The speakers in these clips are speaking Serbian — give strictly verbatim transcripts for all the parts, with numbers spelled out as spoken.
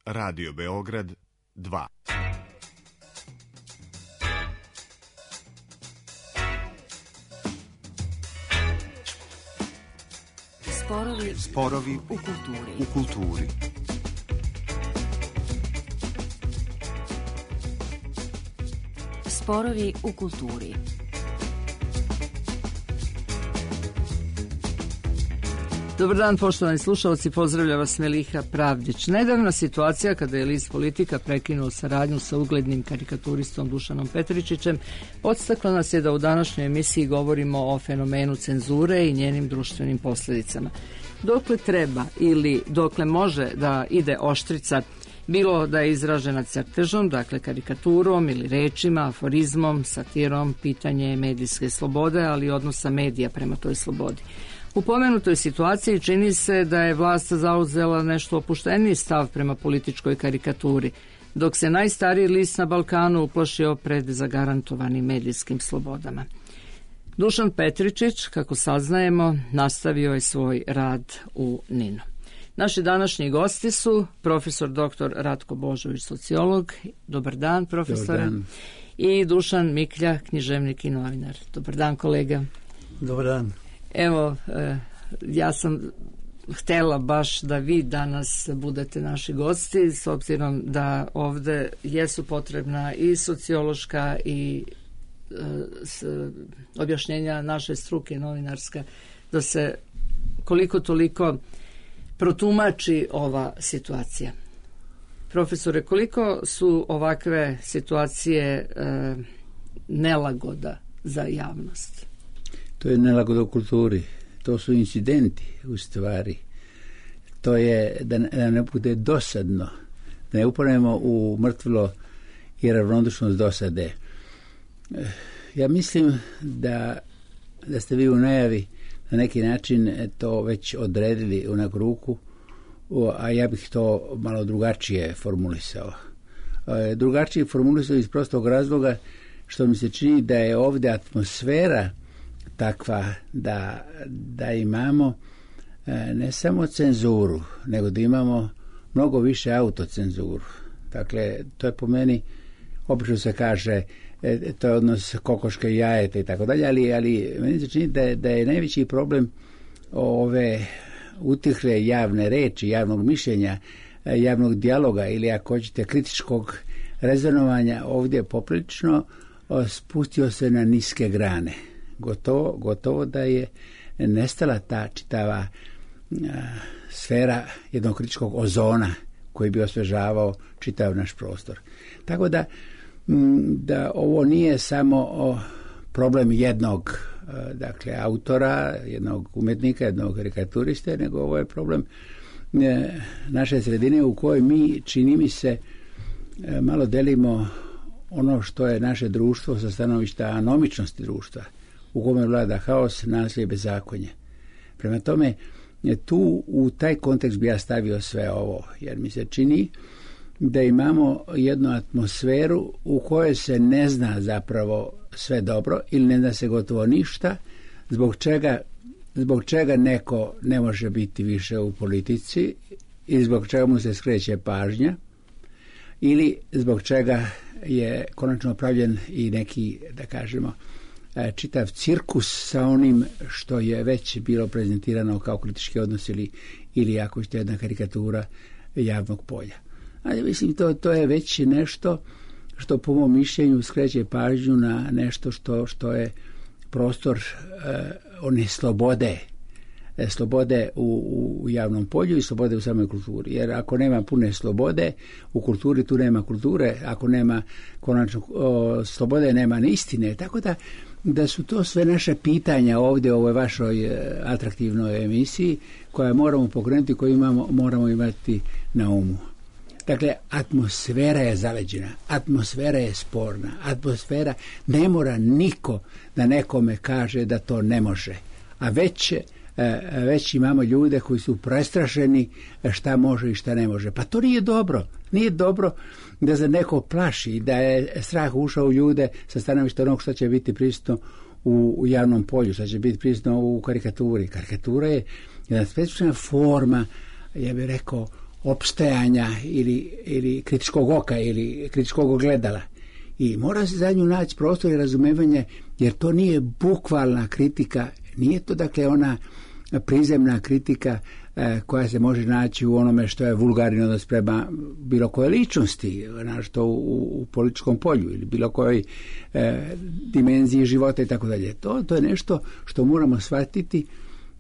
Radio Beograd dva. Sporovi, Sporovi u kulturi. U kulturi. Sporovi u kulturi. Dobar dan, poštovani slušalci, pozdravlja vas Meliha Pravdić. Nedavna situacija kada je list Politika prekinuo saradnju sa uglednim karikaturistom Dušanom Petričićem podstakla nas je da u današnjoj emisiji govorimo o fenomenu cenzure i njenim društvenim posljedicama. Dokle treba ili dokle može da ide oštrica, bilo da je izražena crtežom, dakle karikaturom ili rečima, aforizmom, satirom, pitanje je medijske slobode, ali i odnosa medija prema toj slobodi. U pomenutoj situaciji čini se da je vlast zauzela nešto opušteniji stav prema političkoj karikaturi, dok se najstariji list na Balkanu uplašio pred zagarantovanim medijskim slobodama. Dušan Petričić, kako saznajemo, nastavio je svoj rad u Ninu. Naši današnji gosti su profesor doktor Ratko Božović, sociolog. Dobar dan, profesore. Dobar dan. I Dušan Miklja, književnik i novinar. Dobar dan, kolega. Dobar dan. Evo, ja sam htjela baš da vi danas budete naši gosti, s obzirom da ovdje jesu potrebna i sociološka i s, objašnjenja naše struke novinarska, da se koliko toliko protumači ova situacija. Profesore, koliko su ovakve situacije e, nelagoda za javnost? To je nelagoda u kulturi, to su incidenti u stvari. To je da ne, da ne bude dosadno, da ne upadnemo u mrtvilo i ravnodušnost dosade. Ja mislim da, da ste vi u najavi na neki način to već odredili u neku ruku, a ja bih to malo drugačije formulisao. Drugačije formulisao iz prostog razloga što mi se čini da je ovdje atmosfera takva da, da imamo ne samo cenzuru, nego da imamo mnogo više autocenzuru. Dakle, to je po meni, obično se kaže, to je odnos kokoške i jajeta i tako dalje, ali, ali meni se čini da, da je najveći problem ove utihle javne reči, javnog mišljenja, javnog dijaloga ili ako hoćete kritičkog rezonovanja ovdje poprilično spustio se na niske grane. Gotovo, gotovo da je nestala ta čitava a, sfera jednog kritičkog ozona koji bi osvežavao čitav naš prostor. Tako da, m, da ovo nije samo o, problem jednog a, dakle, autora, jednog umetnika, jednog karikaturiste, nego ovo je problem e, naše sredine u kojoj mi, čini mi se, e, malo delimo ono što je naše društvo sa stanovišta anomičnosti društva, u kome vlada haos, nasilje i bezakonje. Prema tome, tu u taj kontekst bi ja stavio sve ovo, jer mi se čini da imamo jednu atmosferu u kojoj se ne zna zapravo sve dobro ili ne zna se gotovo ništa, zbog čega, zbog čega neko ne može biti više u politici ili zbog čega mu se skreće pažnja ili zbog čega je konačno pravljen i neki, da kažemo, čitav cirkus sa onim što je već bilo prezentirano kao kritički odnos ili, ili ako ćete jedna karikatura javnog polja. Ali mislim to, to je već nešto što po mom mišljenju skreće pažnju na nešto što, što je prostor eh, one slobode, eh, slobode u, u javnom polju i slobode u samoj kulturi. Jer ako nema pune slobode u kulturi, tu nema kulture, ako nema konačno o, slobode, nema ni istine. Tako da da su to sve naše pitanja ovdje u ovoj vašoj e, atraktivnoj emisiji koja moramo pokrenuti, koju imamo, moramo imati na umu. Dakle, atmosfera je zaleđena, atmosfera je sporna, atmosfera ne mora niko da nekome kaže da to ne može, a već, e, već imamo ljude koji su prestrašeni šta može i šta ne može. Pa to nije dobro, nije dobro da se neko plaši, da je strah ušao u ljude sa stanovišta onog što će biti prisutno u, u javnom polju, što će biti prisutno u karikaturi. Karikatura je jedna specifična forma, ja bih rekao, opstajanja ili, ili kritičkog oka ili kritičkog ogledala. I mora se za nju naći prostor i razumevanje, jer to nije bukvalna kritika, nije to dakle ona prizemna kritika e, koja se može naći u onome što je vulgarni odnos prema bilo koje ličnosti, našto u, u političkom polju ili bilo kojoj e, dimenziji života i tako dalje. To, to je nešto što moramo shvatiti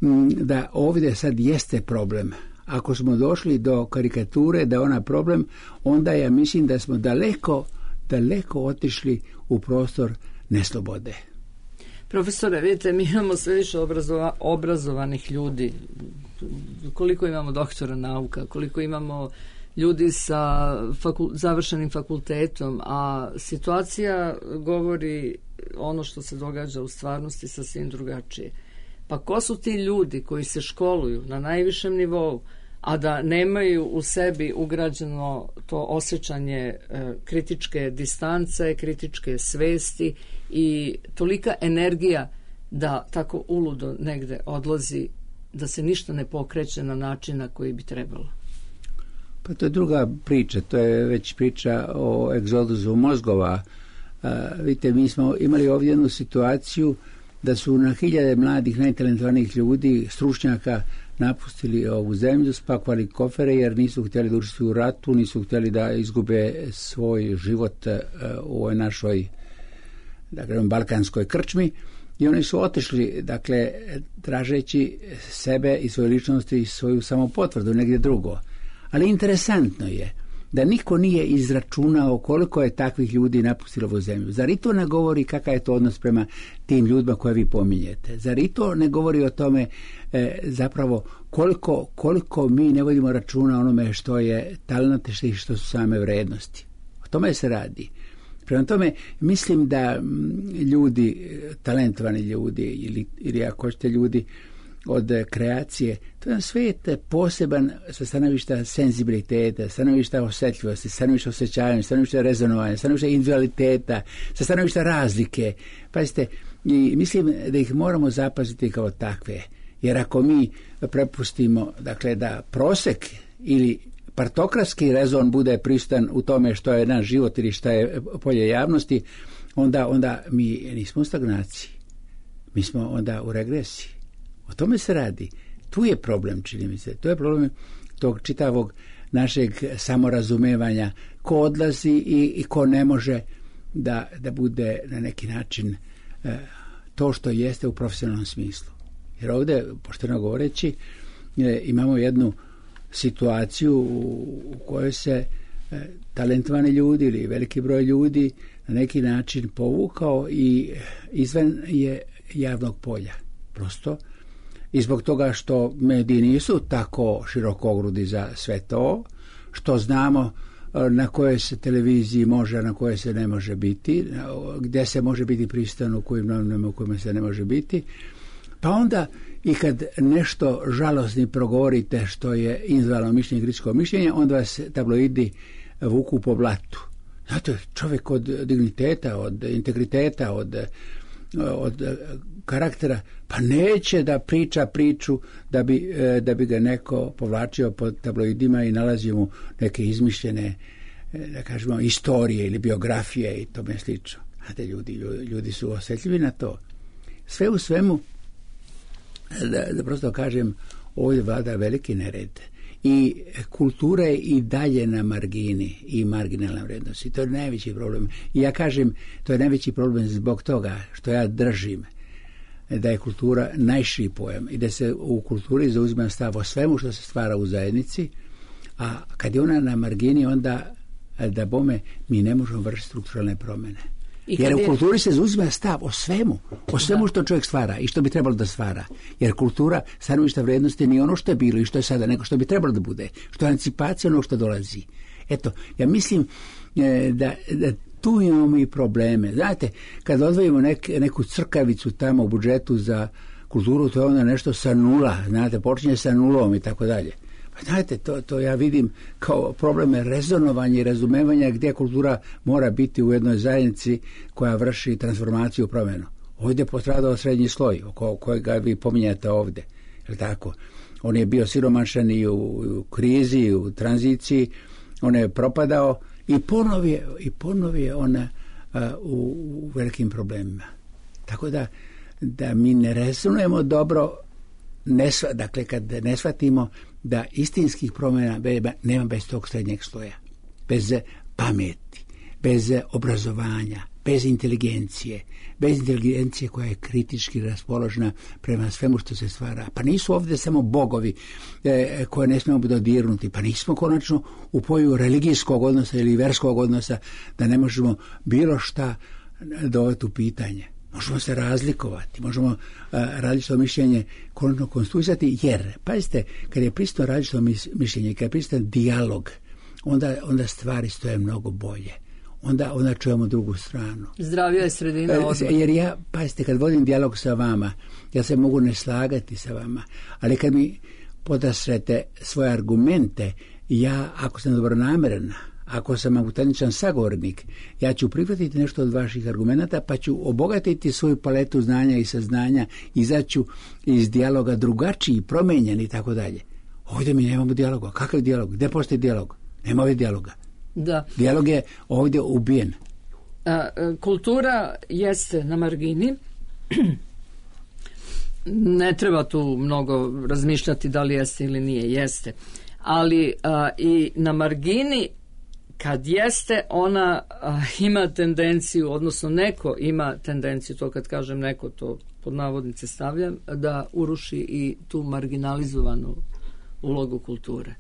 m, da ovdje sad jeste problem. Ako smo došli do karikature da je ona problem, onda ja mislim da smo daleko, daleko otišli u prostor neslobode. Profesore, vidite, mi imamo sve više obrazova, obrazovanih ljudi. Koliko imamo doktora nauka, koliko imamo ljudi sa fakul, završenim fakultetom, a situacija govori ono što se događa u stvarnosti sasvim drugačije. Pa ko su ti ljudi koji se školuju na najvišem nivou, a da nemaju u sebi ugrađeno to osjećanje e, kritičke distance, kritičke svesti i tolika energija da tako uludo negde odlazi, da se ništa ne pokreće na način na koji bi trebalo? Pa to je druga priča, to je već priča o egzodusu mozgova. A, vidite, mi smo imali ovdje jednu situaciju da su na hiljade mladih, najtalentovanijih ljudi, stručnjaka, napustili ovu zemlju, spakovali kofere jer nisu htjeli da učestvuju u ratu, nisu htjeli da izgube svoj život u ovoj našoj, dakle, balkanskoj krčmi, i oni su otišli, dakle, tražeći sebe i svoje ličnosti i svoju samopotvrdu negdje drugo. Ali interesantno je da niko nije izračunao koliko je takvih ljudi napustilo ovu zemlju. Zar i to ne govori kakav je to odnos prema tim ljudima koje vi pominjete? Zar i to ne govori o tome e, zapravo koliko, koliko mi ne vodimo računa onome što je talent i što su same vrednosti? O tome se radi. Prema tome, mislim da ljudi, talentovani ljudi ili, ili ako hoćete ljudi od kreacije, to je svijet poseban sa stanovišta senzibiliteta, stanovišta osjetljivosti, stanovišta osjećanja, stanovišta rezonovanja, stanovišta individualiteta, sa stanovišta razlike. Pazite, i mislim da ih moramo zapaziti kao takve, jer ako mi prepustimo, dakle, da prosek ili partokratski rezon bude pristan u tome što je naš život ili što je polje javnosti, onda, onda mi nismo u stagnaciji. Mi smo onda u regresiji. O tome se radi. Tu je problem, čini mi se. To je problem tog čitavog našeg samorazumevanja. Ko odlazi i, i ko ne može da, da bude na neki način e, to što jeste u profesionalnom smislu. Jer ovdje, pošteno govoreći, e, imamo jednu situaciju u, u kojoj se e, talentovani ljudi ili veliki broj ljudi na neki način povukao i izvan je javnog polja. Prosto i zbog toga što mediji nisu tako širokogrudi za sve to, što znamo na kojoj se televiziji može, na kojoj se ne može biti, gdje se može biti pristan, u kojim novinama, u kojima se ne može biti. Pa onda i kad nešto žalosni progovorite što je individualno mišljenje, kritičko mišljenje, onda vas tabloidi vuku po blatu. Znate, čovjek od digniteta, od integriteta, od od karaktera, pa neće da priča priču da bi, da bi ga neko povlačio pod tabloidima i nalazio mu neke izmišljene, da kažemo, istorije ili biografije i tome slično. Znate, ljudi, ljudi su osjetljivi na to. Sve u svemu, da, da prosto kažem, ovdje vlada veliki nered. I kultura je i dalje na margini i marginalna vrednost. I to je najveći problem. I ja kažem, to je najveći problem zbog toga što ja držim da je kultura najširi pojam i da se u kulturi zauzima stav o svemu što se stvara u zajednici, a kad je ona na margini, onda da bome mi ne možemo vršiti strukturalne promjene. Jer u je... kulturi se zauzima stav o svemu, o svemu što čovjek stvara i što bi trebalo da stvara. Jer kultura stanovišta vrednosti nije ono što je bilo i što je sada, nego što bi trebalo da bude, što je anticipacija onog što dolazi. Eto, ja mislim e, da, da tu imamo i probleme. Znate, kad odvojimo nek, neku crkavicu tamo u budžetu za kulturu, to je onda nešto sa nula, znate, počinje sa nulom i tako dalje. Pa znate, to, to ja vidim kao probleme rezonovanja i razumevanja gdje kultura mora biti u jednoj zajednici koja vrši transformaciju, promjenu. Ovdje je postradao srednji sloj, oko kojega vi pominjate ovdje. Je tako? On je bio siromašan i u, u krizi, i u tranziciji, on je propadao i ponovo je, i ponovo je ona a, u, u velikim problemima. Tako da, da mi ne rezonujemo dobro, ne, dakle kad ne shvatimo da istinskih promjena nema bez tog srednjeg sloja, bez pameti, bez obrazovanja, bez inteligencije, bez inteligencije koja je kritički raspoložena prema svemu što se stvara. Pa nisu ovdje samo bogovi e, koje ne smijemo dodirnuti, pa nismo konačno u poju religijskog odnosa ili verskog odnosa da ne možemo bilo šta dovesti u pitanje. Možemo se razlikovati, možemo uh, različito mišljenje konačno konstruisati, jer, pazite, kad je prisutno različito mišljenje, kad je prisutan dijalog, onda, onda stvari stoje mnogo bolje. Onda, onda čujemo drugu stranu. Zdravija je sredina odmah. Jer ja, pazite, kad vodim dijalog sa vama, ja se mogu ne slagati sa vama, ali kad mi podasrete svoje argumente, ja, ako sam dobronamjeran, ako sam autentičan sagovornik, ja ću prihvatiti nešto od vaših argumenata, pa ću obogatiti svoju paletu znanja i saznanja, izaću iz dijaloga drugačiji, promijenjen i tako dalje. Ovdje mi nemamo dijaloga. Kakav dijalog? Gdje postoji dijalog? Nema ovdje dijaloga. Da. Dijalog je ovdje ubijen. A, kultura jeste na margini. Ne treba tu mnogo razmišljati da li jeste ili nije. Jeste. Ali a, i na margini kad jeste, ona a, ima tendenciju, odnosno neko ima tendenciju, to kad kažem neko, to pod navodnice stavljam, da uruši i tu marginalizovanu ulogu kulture.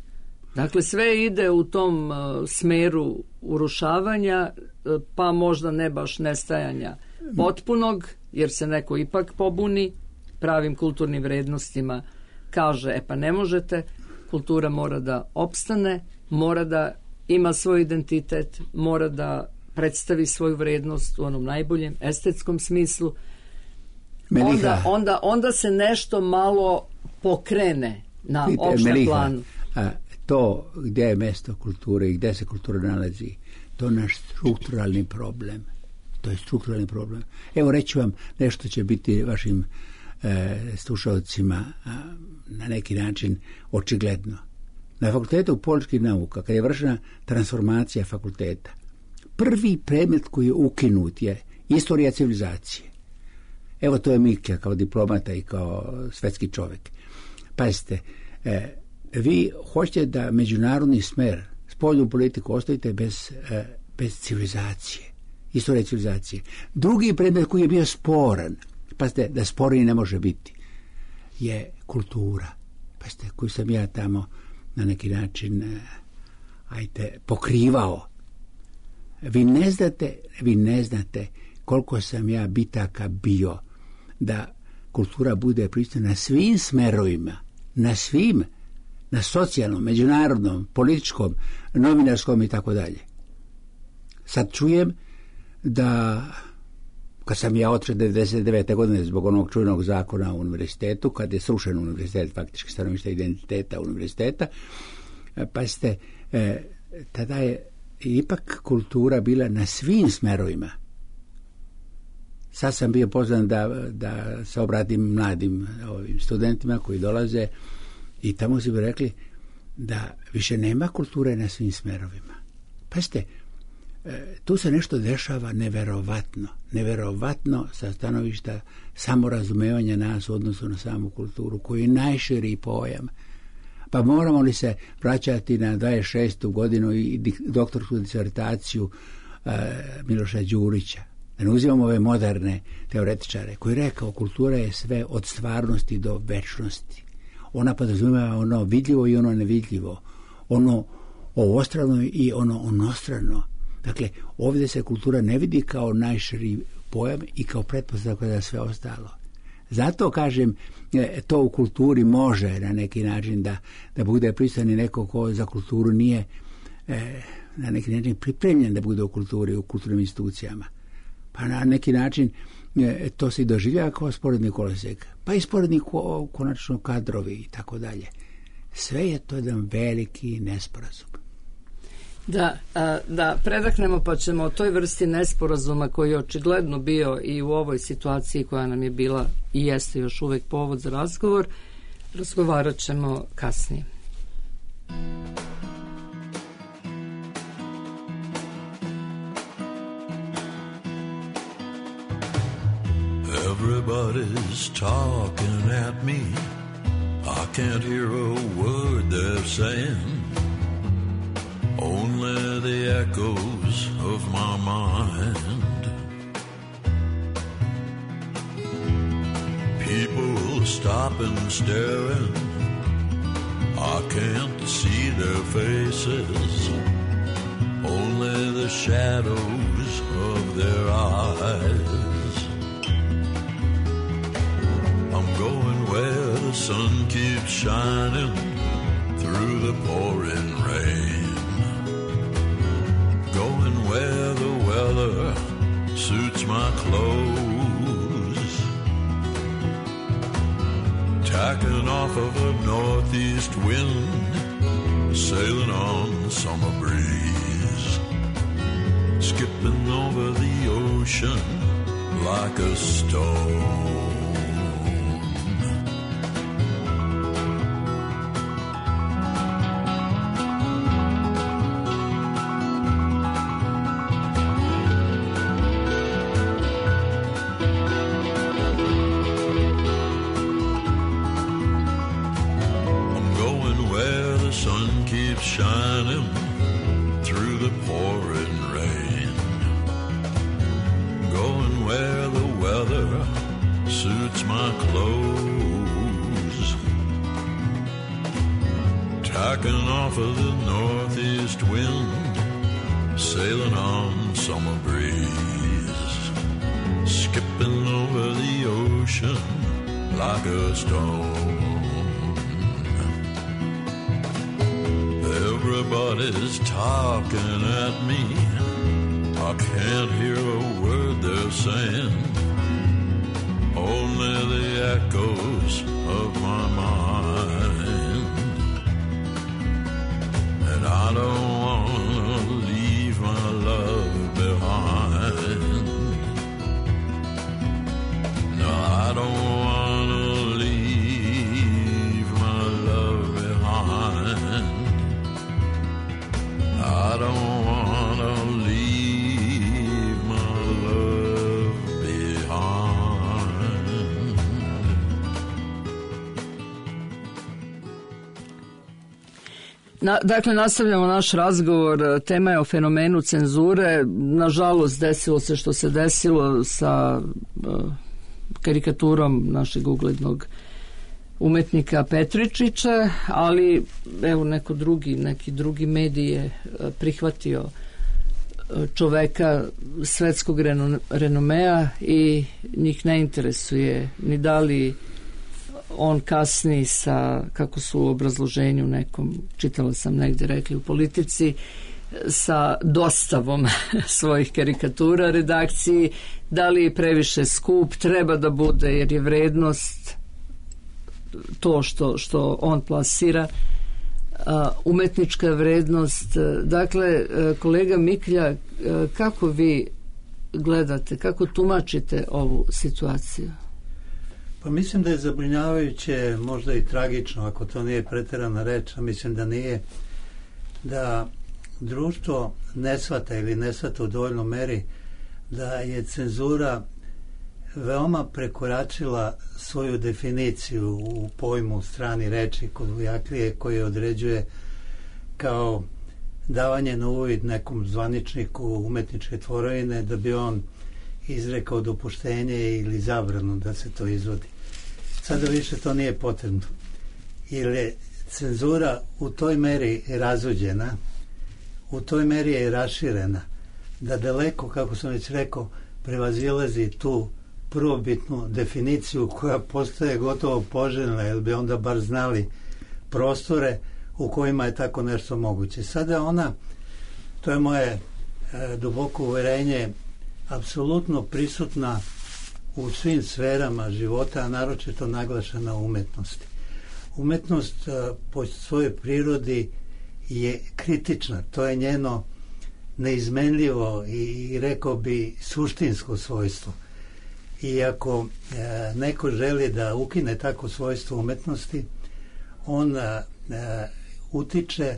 Dakle, sve ide u tom uh, smeru urušavanja, uh, pa možda ne baš nestajanja potpunog, jer se neko ipak pobuni pravim kulturnim vrednostima, kaže, e pa ne možete, kultura mora da opstane, mora da ima svoj identitet, mora predstavi svoju vrednost u onom najboljem estetskom smislu. Onda, onda, onda se nešto malo pokrene na opštem planu. A to gdje je mjesto kulture i gdje se kultura nalazi, to je naš strukturalni problem. To je strukturalni problem. Evo reći vam nešto će biti vašim e, slušalcima a, na neki način očigledno. Na fakultetu političkih nauka, kad je vršena transformacija fakulteta, prvi predmet koji je ukinut je istorija civilizacije. Evo to je Mikija kao diplomata i kao svetski čovjek. Pazite, e, vi hoćete da međunarodni smer, spoljnu politiku ostavite bez, e, bez civilizacije, istorije civilizacije. Drugi predmet koji je bio sporan, pazite, da sporiji ne može biti, je kultura. Pazite, koju sam ja tamo na neki način e, ajte, pokrivao. Vi ne znate, vi ne znate koliko sam ja bitaka bio da kultura bude prisutna na svim smerovima, na svim, na socijalnom, međunarodnom, političkom, novinarskom i tako dalje. Sad čujem da kad sam ja otišao devedeset devete godine zbog onog čuvenog zakona u univerzitetu, kad je srušen univerzitet, faktički stanovište identiteta univerziteta, pa ste, e, tada je ipak kultura bila na svim smerovima. Sad sam bio pozvan da, da se obratim mladim ovim studentima koji dolaze i tamo su bi rekli da više nema kulture na svim smerovima. Pazite, tu se nešto dešava neverovatno. Neverovatno sa stanovišta samorazumevanja nas u odnosu na samu kulturu, koji je najširi pojam. Pa moramo li se vraćati na dvadeset šestu godinu i doktorsku disertaciju uh, Miloša Đurića. Da ne uzimamo ove moderne teoretičare koji rekao kultura je sve od stvarnosti do večnosti. Ona podrazumijeva ono vidljivo i ono nevidljivo. Ono ovostrano i ono onostrano. Dakle, ovdje se kultura ne vidi kao najširi pojam i kao pretpostavka za sve ostalo. Zato kažem, to u kulturi može na neki način da, da bude prisutan i neko ko za kulturu nije e, na neki način pripremljen da bude u kulturi, u kulturnim institucijama. Pa na neki način e, to se doživljava kao sporedni kolosek. Pa i sporedni ko, konačno kadrovi i tako dalje. Sve je to jedan veliki nesporazum. Da, da predahnemo pa ćemo o toj vrsti nesporazuma koji je očigledno bio i u ovoj situaciji koja nam je bila i jeste još uvijek povod za razgovor, Razgovarat ćemo kasnije. Everybody's talking at me. I can't hear a word they're saying. Only the echoes of my mind. People stop and staring. I can't see their faces. Only the shadows of their eyes. I'm going where the sun keeps shining through the pouring rain. Going where the weather suits my clothes. Tacking off of a northeast wind, sailing on summer breeze. Skipping over the ocean like a stone. Shining through the pouring rain. Going where the weather suits my clothes. Tacking off of the northeast wind, sailing on summer breeze. Skipping over the ocean like a stone. Everybody's talking at me. I can't hear a word they're saying. Only the echoes of my mind. And I don't want to leave my love behind. No, I don't want to leave my love behind. I don't want to leave my love behind. Na, dakle, nastavljamo naš razgovor. Tema je o fenomenu cenzure. Nažalost, desilo se što se desilo sa uh, karikaturom našeg uglednog umetnika Petričića, ali evo neko drugi, neki drugi medij je prihvatio čoveka svetskog renomea i njih ne interesuje ni da li on kasni sa, kako su u obrazloženju nekom, čitala sam negdje rekli u Politici, sa dostavom svojih karikatura redakciji, da li je previše skup, treba da bude jer je vrednost to što, što on plasira, umetnička vrednost. Dakle, kolega Miklja, kako vi gledate, kako tumačite ovu situaciju? Pa mislim da je zabrinjavajuće, možda i tragično, ako to nije preterana reč, a mislim da nije, da društvo ne shvata ili ne shvata u dovoljnoj meri da je cenzura veoma prekoračila svoju definiciju u pojmu strani reči kod Vujaklije, koji određuje kao davanje na uvid nekom zvaničniku umetničke tvorevine da bi on izrekao dopuštenje ili zabranu da se to izvodi. Sada više to nije potrebno. Jer je cenzura u toj meri razuđena, u toj meri je raširena, da daleko, kako sam već rekao, prevazilazi tu prvobitnu definiciju koja postaje gotovo poželjna, jer bi onda bar znali prostore u kojima je tako nešto moguće. Sada ona, to je moje e, duboko uverenje, apsolutno prisutna u svim sferama života, a naročito naglašena u umetnosti. Umetnost e, po svojoj prirodi je kritična, to je njeno neizmenljivo i, i rekao bi suštinsko svojstvo. I ako e, neko želi da ukine tako svojstvo umetnosti, on a, a, utiče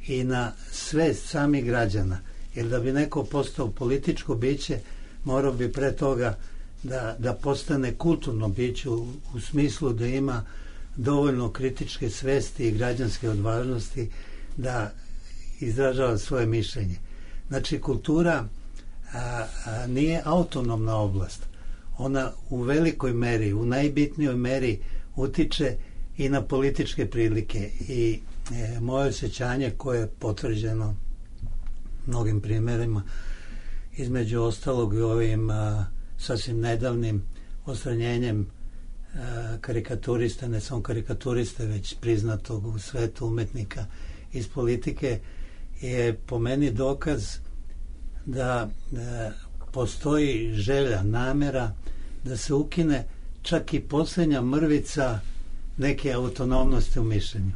i na svest samih građana. Jer da bi neko postao političko biće, morao bi pre toga da, da postane kulturno biće u, u smislu da ima dovoljno kritičke svesti i građanske odvažnosti da izražava svoje mišljenje. Znači, kultura a, a, nije autonomna oblast. Ona u velikoj meri, u najbitnijoj meri utiče i na političke prilike. I e, moje osjećanje, koje je potvrđeno mnogim primjerima, između ostalog i ovim a, sasvim nedavnim odstranjenjem a, karikaturista, ne samo karikaturiste, već priznatog u svetu umetnika iz politike, je po meni dokaz da, da postoji želja, namera da se ukine čak i posljednja mrvica neke autonomnosti u mišljenju.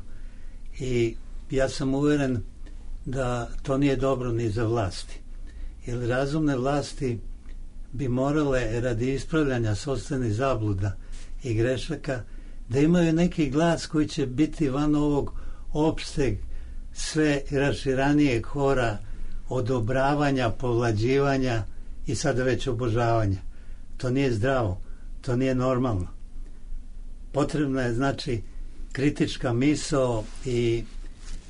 I ja sam uveren da to nije dobro ni za vlasti. Jer razumne vlasti bi morale radi ispravljanja sopstvenih zabluda i grešaka da imaju neki glas koji će biti van ovog opšteg, sve raširanijeg hora odobravanja, povlađivanja i sada već obožavanja. To nije zdravo, to nije normalno. Potrebna je, znači, kritička misao i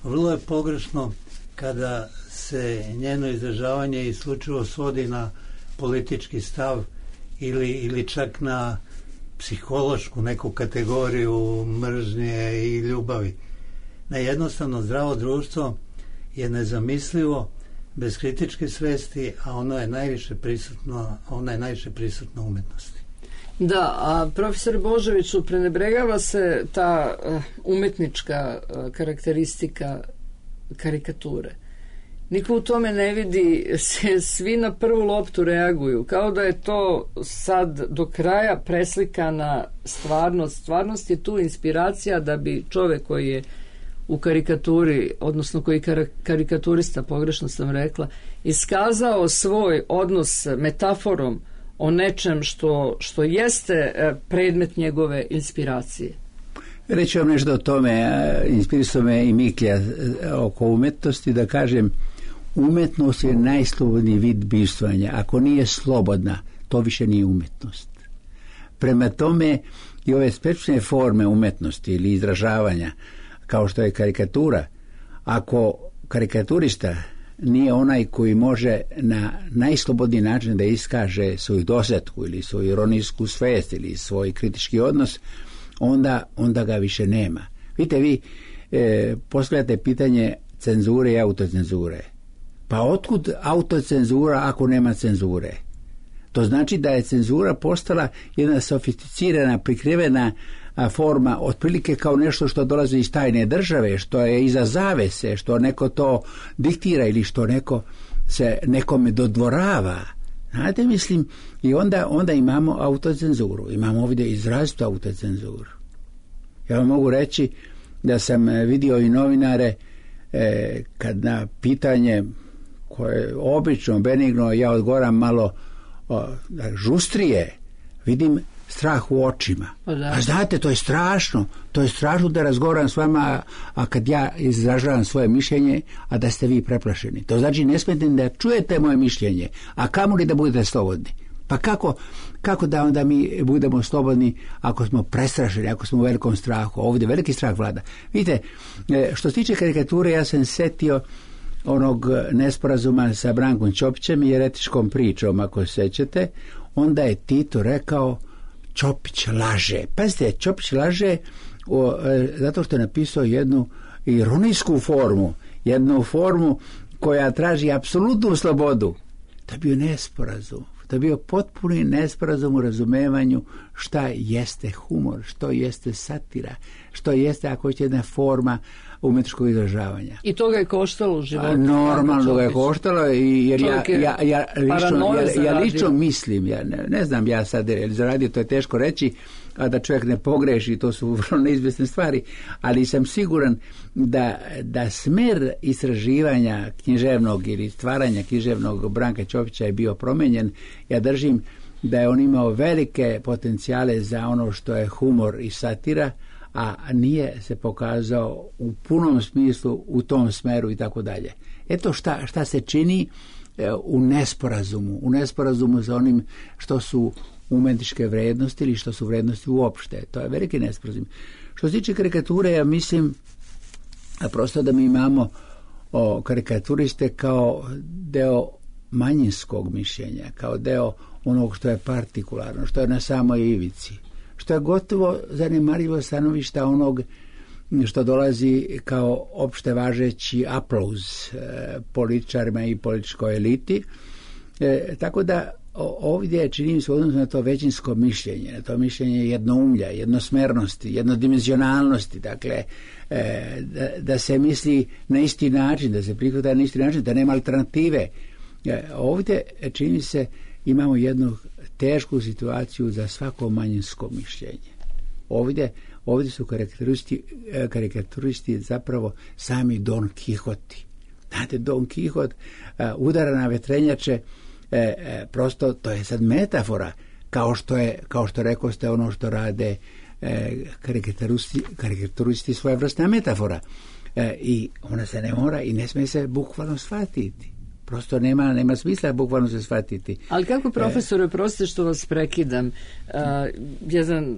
vrlo je pogrešno kada se njeno izražavanje isključivo svodi na politički stav ili, ili čak na psihološku neku kategoriju mržnje i ljubavi. Na jednostavno zdravo društvo je nezamislivo bez kritičke svesti, a ono je najviše prisutno, ona je najviše prisutna u umetnosti. Da, a profesor Božoviću, prenebregava se ta uh, umetnička uh, karakteristika karikature. Niko u tome ne vidi, se, svi na prvu loptu reaguju, kao da je to sad do kraja preslikana stvarnost. Stvarnost je tu inspiracija da bi čovek koji je u karikaturi, odnosno koji kar- karikaturista, pogrešno sam rekla, iskazao svoj odnos metaforom o nečem što, što jeste predmet njegove inspiracije. Reći vam nešto o tome, inspirisao me i Miklja oko umetnosti, da kažem, umetnost je najslobodniji vid bivstvovanja. Ako nije slobodna, to više nije umetnost. Prema tome, i ove specifične forme umetnosti ili izražavanja, kao što je karikatura, ako karikaturista nije onaj koji može na najslobodniji način da iskaže svoju dosetku ili svoju ironijsku svest ili svoj kritički odnos, onda, onda ga više nema. Vidite, vi e, postavljate pitanje cenzure i autocenzure. Pa otkud autocenzura ako nema cenzure? To znači da je cenzura postala jedna sofisticirana, prikrivena a, forma, otprilike kao nešto što dolazi iz tajne države, što je iza zavese, što neko to diktira ili što neko se nekome dodvorava. Znate, mislim, i onda, onda imamo autocenzuru. Imamo ovdje izrazitu autocenzuru. Ja vam mogu reći da sam vidio i novinare e, kad na pitanje koje je obično, benigno, ja odgovaram malo o, žustrije, vidim strah u očima. A znate, to je strašno. To je strašno da razgovaram s vama, a, a kad ja izražavam svoje mišljenje, a da ste vi preplašeni. To znači ne smijete da čujete moje mišljenje, a kamoli da budete slobodni. Pa kako, kako da onda mi budemo slobodni ako smo prestrašeni, ako smo u velikom strahu? Ovdje veliki strah vlada. Vidite, što se tiče karikature, ja sam setio onog nesporazuma sa Brankom Ćopićem i eretičkom pričom, ako se sećate. Onda je Tito rekao Ćopić laže. Pazite, Ćopić laže o, e, zato što je napisao jednu ironijsku formu, jednu formu koja traži apsolutnu slobodu. To je bio nesporazum. To je bio potpuni nesporazum u razumevanju šta jeste humor, što jeste satira, što jeste, ako će, jedna forma umetničkog izražavanja. I to ga je koštalo u životu. Normalno ga je koštalo, i jer ja, ja, ja, lično, ja, ja lično mislim, ja ne, ne znam ja sad, zaradio, to je teško reći, a da čovjek ne pogreši, to su vrlo neizvjesne stvari, ali sam siguran da, da smer istraživanja književnog ili stvaranja književnog Branka Ćopića je bio promenjen. Ja držim da je on imao velike potencijale za ono što je humor i satira, a nije se pokazao u punom smislu u tom smeru i tako dalje. Eto šta, šta se čini u nesporazumu, u nesporazumu sa onim što su umetničke vrednosti ili što su vrednosti uopšte. To je veliki nesporazum. Što se tiče karikature, ja mislim a prosto da mi imamo o, karikaturiste kao deo manjinskog mišljenja, kao deo onog što je partikularno, što je na samoj ivici, što je gotovo zanemarivo stanovišta onog što dolazi kao opšte važeći aplauz e, političarima i političkoj eliti. E, tako da ovdje čini se odnosno na to većinsko mišljenje, na to mišljenje jednoumlja, jednosmernosti, jednodimenzionalnosti, dakle e, da, da se misli na isti način, da se prihvata na isti način, da nema alternative. E, ovdje čini se imamo jednu tešku situaciju za svako manjinsko mišljenje. Ovdje, ovdje su karikaturisti, karikaturisti zapravo sami Don Kihoti. Znate, Don Kihot uh, udara na vetrenjače, e, e, prosto to je sad metafora, kao što je, kao što rekao ste ono što rade e, karikaturisti, karikaturisti svoje vrstna metafora. E, I ona se ne mora i ne smije se bukvalno shvatiti. Prosto nema, nema smisla bukvalno se shvatiti. Ali kako, profesore, prostite što vas prekidam, uh, jedan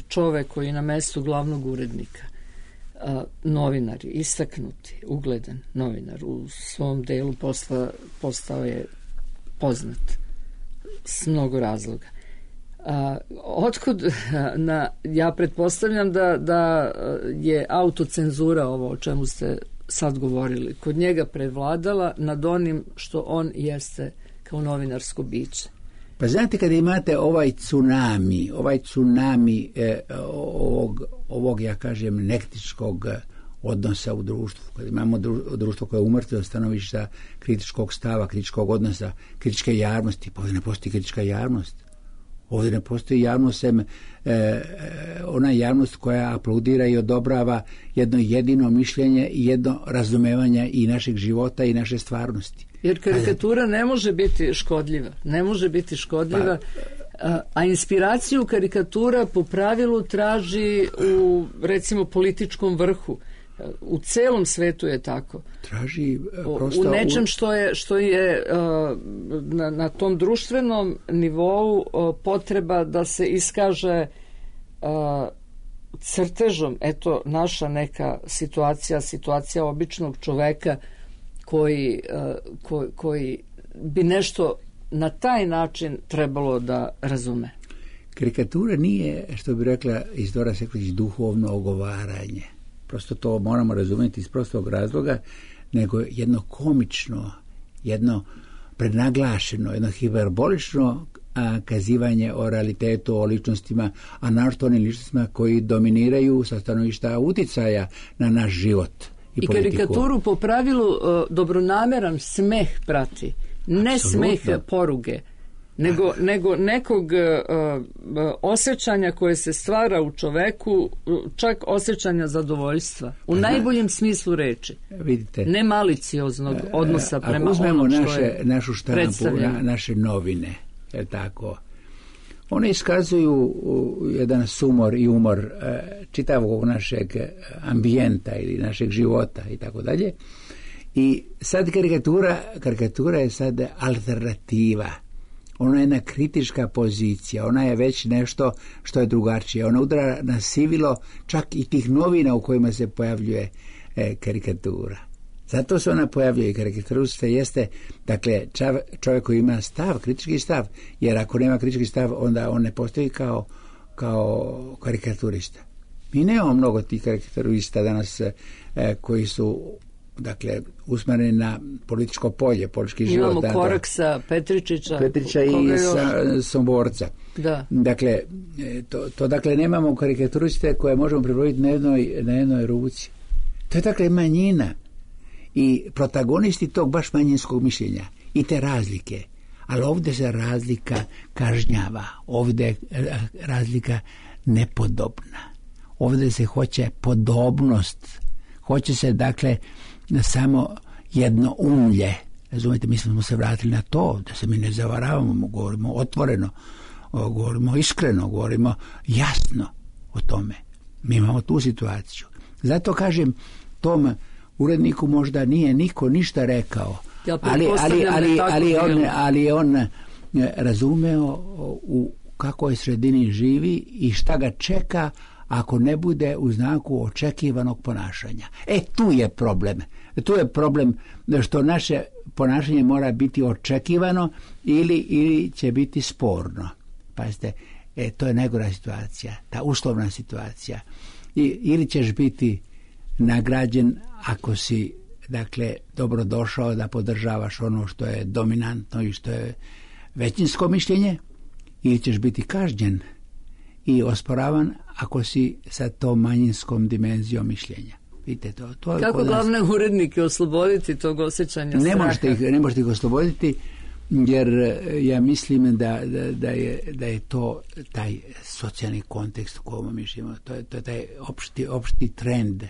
čovek koji je na mestu glavnog urednika, uh, novinar, istaknuti, ugledan novinar, u svom delu posla postao je poznat s mnogo razloga. Uh, otkud, na, ja pretpostavljam da, da je autocenzura ovo o čemu ste sad govorili, kod njega prevladala nad onim što on jeste kao novinarsko biće. Pa znate, kada imate ovaj tsunami, ovaj tsunami eh, ovog, ovog, ja kažem, nektičkog odnosa u društvu, kada imamo društvo koje je umrtvilo stanovišta kritičkog stava, kritičkog odnosa, kritičke javnosti, pa ovdje ne postoji kritička javnost. Ovdje ne postoji javnost, sem e, ona javnost koja aplaudira i odobrava jedno jedino mišljenje i jedno razumevanje i našeg života i naše stvarnosti. Jer karikatura ne može biti škodljiva. Ne može biti škodljiva. Pa, a, a inspiraciju karikatura po pravilu traži u, recimo, političkom vrhu. U celom svetu je tako. Traži prosto u nečem što je, što je uh, na, na tom društvenom nivou uh, potreba da se iskaže uh, crtežom, eto, naša neka situacija, situacija običnog čoveka koji, uh, ko, koji bi nešto na taj način trebalo da razume. Karikatura nije, što bi rekla Isidora Sekulić, duhovno ogovaranje. Prosto to moramo razumjeti iz prostog razloga, nego jedno komično, jedno prednaglašeno, jedno hiperbolično a, kazivanje o realitetu, o ličnostima, a našto onim ličnostima koji dominiraju sa stanovišta uticaja na naš život i, I politiku. karikaturu po pravilu uh, dobronameran smeh prati, ne Absolutno. Smeh poruge, nego, nego nekog uh, osjećanja koje se stvara u čoveku, čak osjećanja zadovoljstva. U Aha. najboljem smislu reči. Vidite. Ne malicioznog odnosa prema onom što naše, je našu štampu, na, naše novine, je tako, one iskazuju jedan sumor i umor uh, čitavog našeg ambijenta ili našeg života i tako dalje. I sad karikatura, karikatura je sad alternativa. Ona je jedna kritička pozicija, ona je već nešto što je drugačije. Ona udara na sivilo čak i tih novina u kojima se pojavljuje e, karikatura. Zato se ona pojavljuje i karikaturista jeste, dakle, čav, čovjek koji ima stav, kritički stav, jer ako nema kritički stav, onda on ne postoji kao, kao karikaturista. Mi nemamo mnogo tih karikaturista danas e, koji su, dakle, usmjereni na političko polje, politički život. Imamo Koraksa, Petričića, Petrića i sa, Somborca. Da. Dakle, to, to dakle nemamo karikaturiste koje možemo pribrojiti na jednoj, na jednoj ruci. To je dakle manjina i protagonisti tog baš manjinskog mišljenja i te razlike. Ali ovdje se razlika kažnjava, ovdje razlika nepodobna. Ovdje se hoće podobnost, hoće se dakle samo jedno umlje. Razumijete, mi smo se vratili na to, da se mi ne zavaravamo, govorimo otvoreno, govorimo iskreno, govorimo jasno o tome. Mi imamo tu situaciju. Zato kažem, tom uredniku možda nije niko ništa rekao, ja ali, ali, ali, ali, on, ali on razumeo u kakoj sredini živi i šta ga čeka ako ne bude u znaku očekivanog ponašanja. E, tu je problem. Tu je problem što naše ponašanje mora biti očekivano ili, ili će biti sporno. Pazite, e, to je najgora situacija, ta uslovna situacija. I, ili ćeš biti nagrađen ako si, dakle, dobro došao da podržavaš ono što je dominantno i što je većinsko mišljenje, ili ćeš biti kažnjen i osporavan ako si sa tom manjinskom dimenzijom mišljenja. Vidite to. to Kako glavne nas... urednike osloboditi tog osjećanja ne straha? Možete ih, ne možete ih osloboditi, jer ja mislim da, da, da, je, da je to taj socijalni kontekst u kojem mi živimo. To je, to je taj opšti, opšti trend,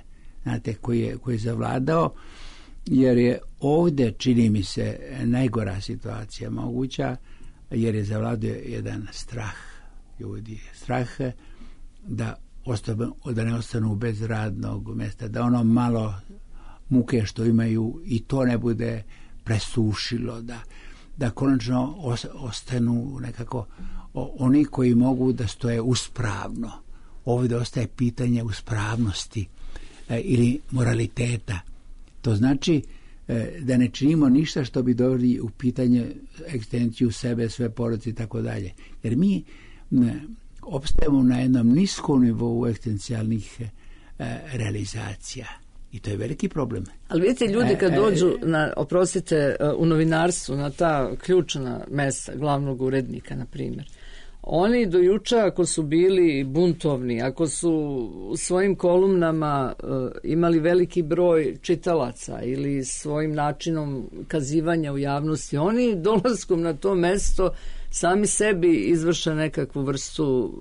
znate, koji je, koji je zavladao, jer je ovdje, čini mi se, najgora situacija moguća, jer je zavladao jedan strah ljudi. Strah da, ostanu, da ne ostanu bez radnog mjesta, da ono malo muke što imaju i to ne bude presušilo, da, da konačno ostanu nekako oni koji mogu da stoje uspravno. Ovdje ostaje pitanje uspravnosti e, ili moraliteta. To znači e, da ne činimo ništa što bi doveli u pitanje egzistenciju sebe, sve porodice i tako dalje. Jer mi ne, opstajemo na jednom niskom nivou egzistencijalnih e, realizacija. I to je veliki problem. Ali vidite, ljudi kad dođu, na, oprostite, u novinarstvu, na ta ključna mesta glavnog urednika, na primjer, oni do juče, ako su bili buntovni, ako su u svojim kolumnama uh, imali veliki broj čitalaca ili svojim načinom kazivanja u javnosti, oni dolaskom na to mesto sami sebi izvrše nekakvu vrstu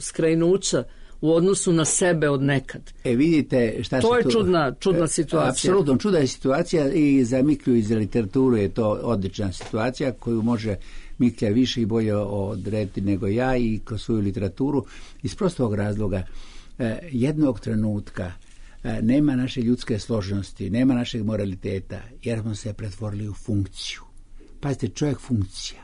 skrajnuća u odnosu na sebe od nekad. E, vidite šta to je tu... čudna, čudna situacija. Apsolutno, čudna je situacija i za Miklju iz literaturu je to odlična situacija koju može Miklja više i bolje odrediti nego ja i kroz svoju literaturu. Iz prostog razloga, jednog trenutka nema naše ljudske složenosti, nema našeg moraliteta, jer smo se pretvorili u funkciju. Pazite, čovjek funkcija.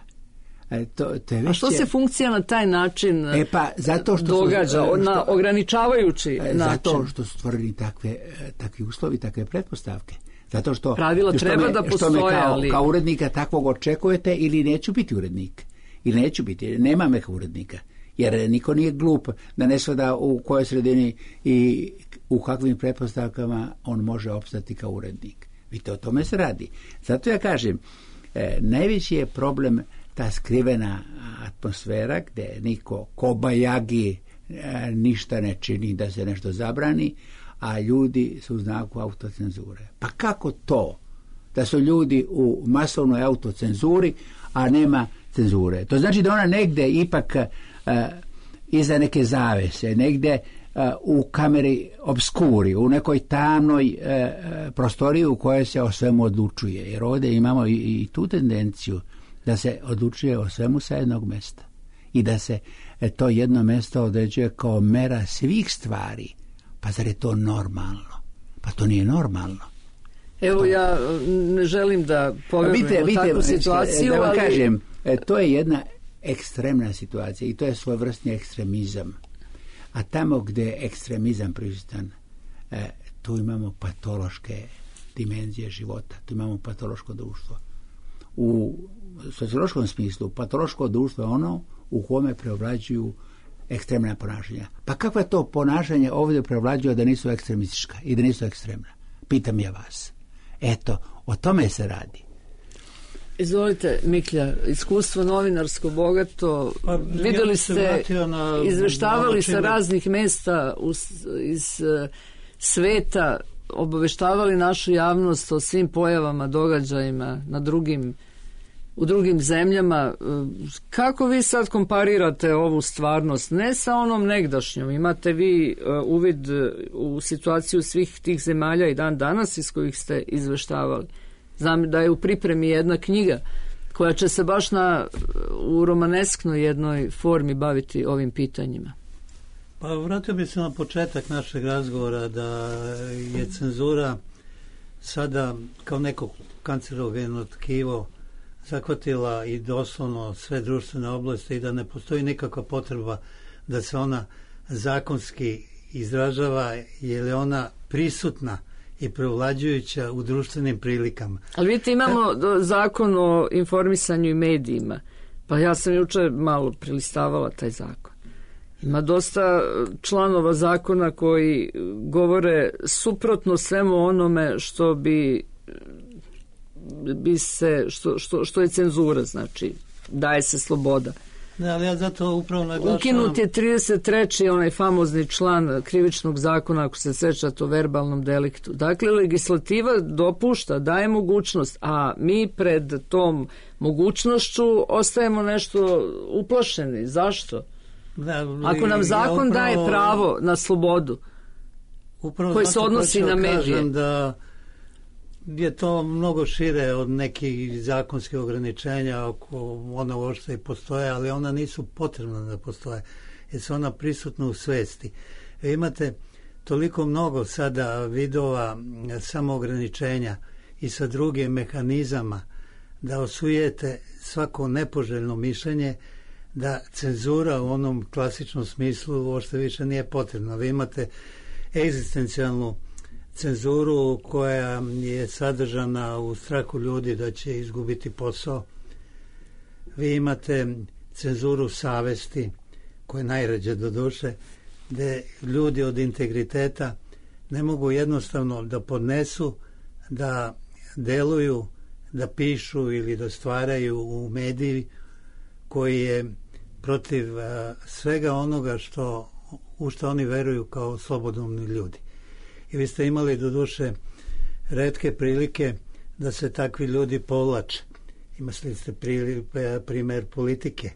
To, to je već... A što se funkcija na taj način e pa, zato što događa, su, na što, ograničavajući način? Zato što su stvorili takve, takvi uslovi, takve pretpostavke. Zato što pravila što treba me, da postoje, što me kao, ali... kao urednika takvog očekujete ili neću biti urednik. Ili neću biti, nema me kao urednika. Jer niko nije glup da ne gleda u kojoj sredini i u kakvim pretpostavkama on može opstati kao urednik. Vidite, o tome se radi. Zato ja kažem, eh, najveći je problem ta skrivena atmosfera gdje niko kobajagi e, ništa ne čini da se nešto zabrani, a ljudi su u znaku autocenzure. Pa kako to da su ljudi u masovnoj autocenzuri, a nema cenzure? To znači da ona negdje ipak e, iza neke zavese, negdje e, u kameri obskuri, u nekoj tamnoj e, prostoriji u kojoj se o svemu odlučuje. Jer ovdje imamo i, i tu tendenciju da se odlučuje o svemu sa jednog mjesta i da se to jedno mjesto određuje kao mera svih stvari. Pa zar je to normalno? Pa to nije normalno. Evo, to... ja ne želim da povjerujem u takvu situaciju, da vam ali... kažem, to je jedna ekstremna situacija i to je svojevrsni ekstremizam. A tamo gdje je ekstremizam prisutan, tu imamo patološke dimenzije života, tu imamo patološko društvo. U sociološkom smislu patološko društvo je ono u kome preovlađuju ekstremna ponašanja. Pa kakva je to ponašanje ovdje preovlađuje da nisu ekstremistička i da nisu ekstremna? Pitam ja vas. Eto, o tome se radi. Izvolite, Miklja, iskustvo novinarsko bogato, pa, vidjeli ste, na, izveštavali na sa raznih mjesta uz, iz uh, sveta, obaveštavali našu javnost o svim pojavama, događajima na drugim, u drugim zemljama. Kako vi sad komparirate ovu stvarnost, ne sa onom negdašnjom? Imate vi uh, uvid u situaciju svih tih zemalja i dan danas iz kojih ste izveštavali? Znam da je u pripremi jedna knjiga koja će se baš na, u romanesknoj jednoj formi baviti ovim pitanjima. Pa vratio bi se na početak našeg razgovora da je cenzura sada kao neko kancerogeno tkivo zahvatila i doslovno sve društvene oblasti i da ne postoji nikakva potreba da se ona zakonski izražava, jer je ona prisutna i prevlađujuća u društvenim prilikama. Ali vidite, imamo zakon o informisanju i medijima, pa ja sam juče malo prelistavala taj zakon. Ima dosta članova zakona koji govore suprotno svemu onome što bi, bi se, što, što, što je cenzura, znači daje se sloboda. Ne, ali ja zato upravo naglašavam... Ukinut je trideset treći onaj famozni član krivičnog zakona, ako se sećate, o verbalnom deliktu. Dakle, legislativa dopušta, daje mogućnost, a mi pred tom mogućnošću ostajemo nešto uplašeni. Zašto? Da, ako nam zakon ja upravo, daje pravo na slobodu koji se odnosi na medije, da je to mnogo šire od nekih zakonskih ograničenja, ako ona uopšte i postoje, ali ona nisu potrebna da postoje, jer su ona prisutna u svesti. E, imate toliko mnogo sada vidova samoograničenja i sa drugim mehanizama da osujete svako nepoželjno mišljenje, da cenzura u onom klasičnom smislu uopšte više nije potrebna. Vi imate egzistencijalnu cenzuru koja je sadržana u strahu ljudi da će izgubiti posao. Vi imate cenzuru savesti, koja je najređe do duše, gde ljudi od integriteta ne mogu jednostavno da podnesu, da deluju, da pišu ili da stvaraju u mediji koji je protiv uh, svega onoga što, u što oni veruju kao slobodni ljudi. I vi ste imali do duše retke prilike da se takvi ljudi povlače. Imali ste pri, primer Politike,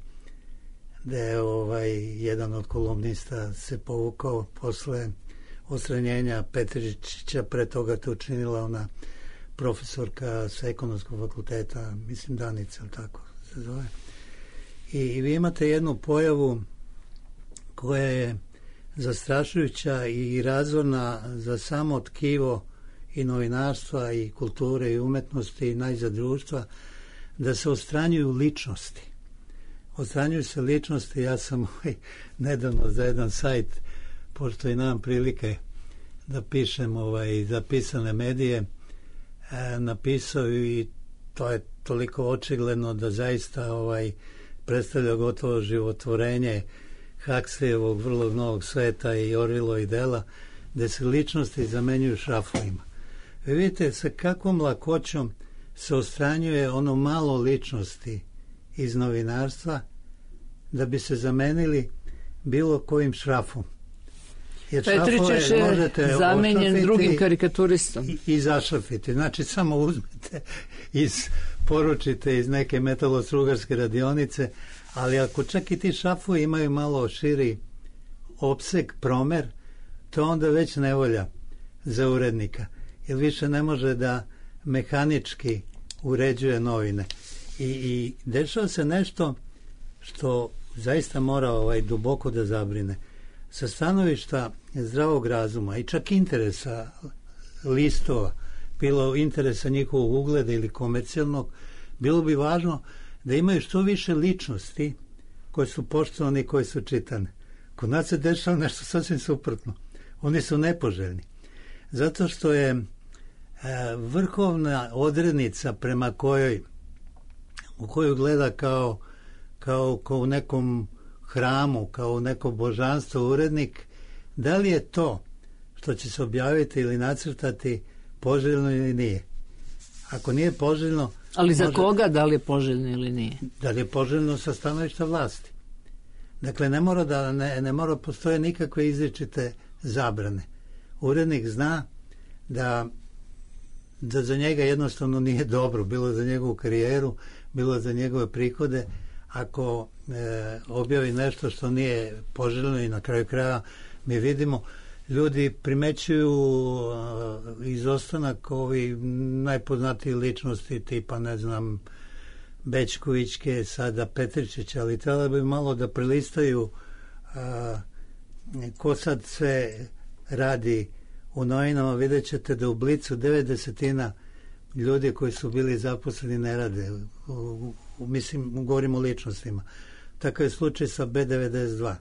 gde je ovaj, jedan od kolumnista se povukao posle odstranjenja Petričića, pre toga to učinila ona profesorka sa ekonomskog fakulteta, mislim Danica, tako se zove. I, i vi imate jednu pojavu koja je zastrašujuća i razorna za samo tkivo i novinarstva i kulture i umetnosti i najzad društva, da se odstranjuju ličnosti. Odstranjuju se ličnosti. Ja sam ovaj, nedavno za jedan sajt, pošto i nemam prilike da pišem ovaj, za pisane medije, e, napisao i to je toliko očigledno da zaista ovaj, predstavlja gotovo životvorenje Huxleyevog vrlo novog sveta i Orwellovog i dela, gde se ličnosti zamenjuju šrafovima. Vi vidite sa kakvom lakoćom se odstranjuje ono malo ličnosti iz novinarstva da bi se zamenili bilo kojim šrafom. Jer Petričić je zamenjen drugim karikaturistom. I, i zašrafiti. Znači, samo uzmete, iz, poručite iz neke metalostrugarske radionice, ali ako čak i ti šrafovi imaju malo širi opseg, promer, to onda već nevolja za urednika. Jer više ne može da mehanički uređuje novine. I, i dešava se nešto što zaista mora ovaj, duboko da zabrine. Sa stanovišta zdravog razuma i čak interesa listova, bilo interesa njihovog ugleda ili komercijalnog, bilo bi važno da imaju što više ličnosti koje su poštovane i koje su čitane. Kod nas se dešava nešto sasvim suprotno. Oni su nepoželjni. Zato što je e, vrhovna odrednica prema kojoj u koju gleda kao, kao, kao u nekom hramu, kao u neko božanstvo urednik, da li je to što će se objaviti ili nacrtati poželjno ili nije. Ako nije poželjno... Ali za može, koga da li je poželjno ili nije? Da li je poželjno sa stanovišta vlasti. Dakle, ne mora da ne, ne mora postoje nikakve izričite zabrane. Urednik zna da, da za njega jednostavno nije dobro, bilo za njegovu karijeru, bilo za njegove prihode, ako e, objavi nešto što nije poželjno i na kraju kraja mi vidimo, ljudi primećuju uh, izostanak ovi najpoznatiji ličnosti tipa, ne znam, Bečkovićke, sada Petričića, ali trebalo bi malo da prelistaju uh, ko sad sve radi u novinama, vidjet ćete da u Blicu devet desetina ljudi koji su bili zaposleni ne rade. U, u, mislim, govorim o ličnostima. Takav je slučaj sa B devedeset dva.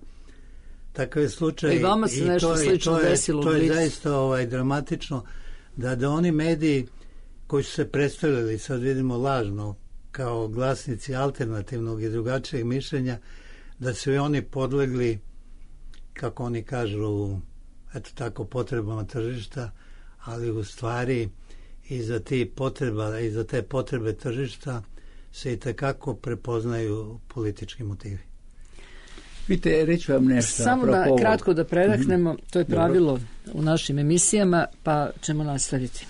Takav je slučaj... I vama se nešto to, slično to je, desilo u To je Blicu. zaista ovaj, dramatično da, da oni mediji koji su se predstavljali, sad vidimo lažno, kao glasnici alternativnog i drugačijeg mišljenja, da su i oni podlegli, kako oni kažu, eto tako, potrebama tržišta, ali u stvari i za ti potreba i za te potrebe tržišta se i tekako prepoznaju politički motivi. Vidite, reći vam nešto. Samo da kratko da predahnemo, to je pravilo u našim emisijama, pa ćemo nastaviti.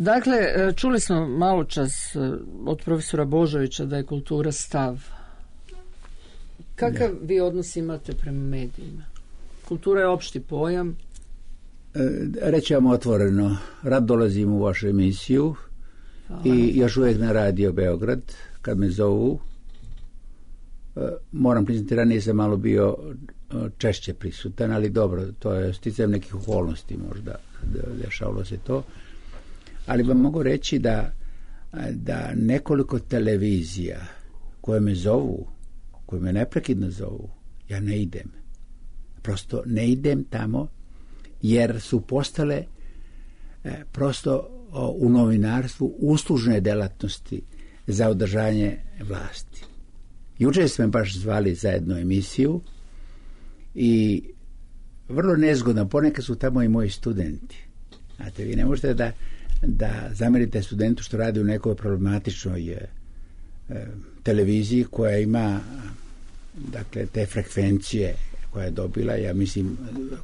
Dakle, čuli smo malo čas od profesora Božovića da je kultura stav. Kakav vi odnos imate prema medijima? Kultura je opšti pojam. Reći vam otvoreno, rad dolazim u vašu emisiju. Hvala. I još uvijek na Radio Beograd, kad me zovu. Moram priznati, ranije sam malo bio češće prisutan, ali dobro, to je sticajem nekih okolnosti možda, dešavalo se to. Ali vam mogu reći da, da nekoliko televizija koje me zovu, koje me neprekidno zovu, ja ne idem. Prosto ne idem tamo jer su postale e, prosto o, u novinarstvu uslužne delatnosti za održanje vlasti. Jučer smo baš zvali za jednu emisiju i vrlo nezgodno, ponekad su tamo i moji studenti. Znate, vi ne možete da da zamerite studentu što radi u nekoj problematičnoj e, televiziji koja ima dakle te frekvencije koje je dobila, ja mislim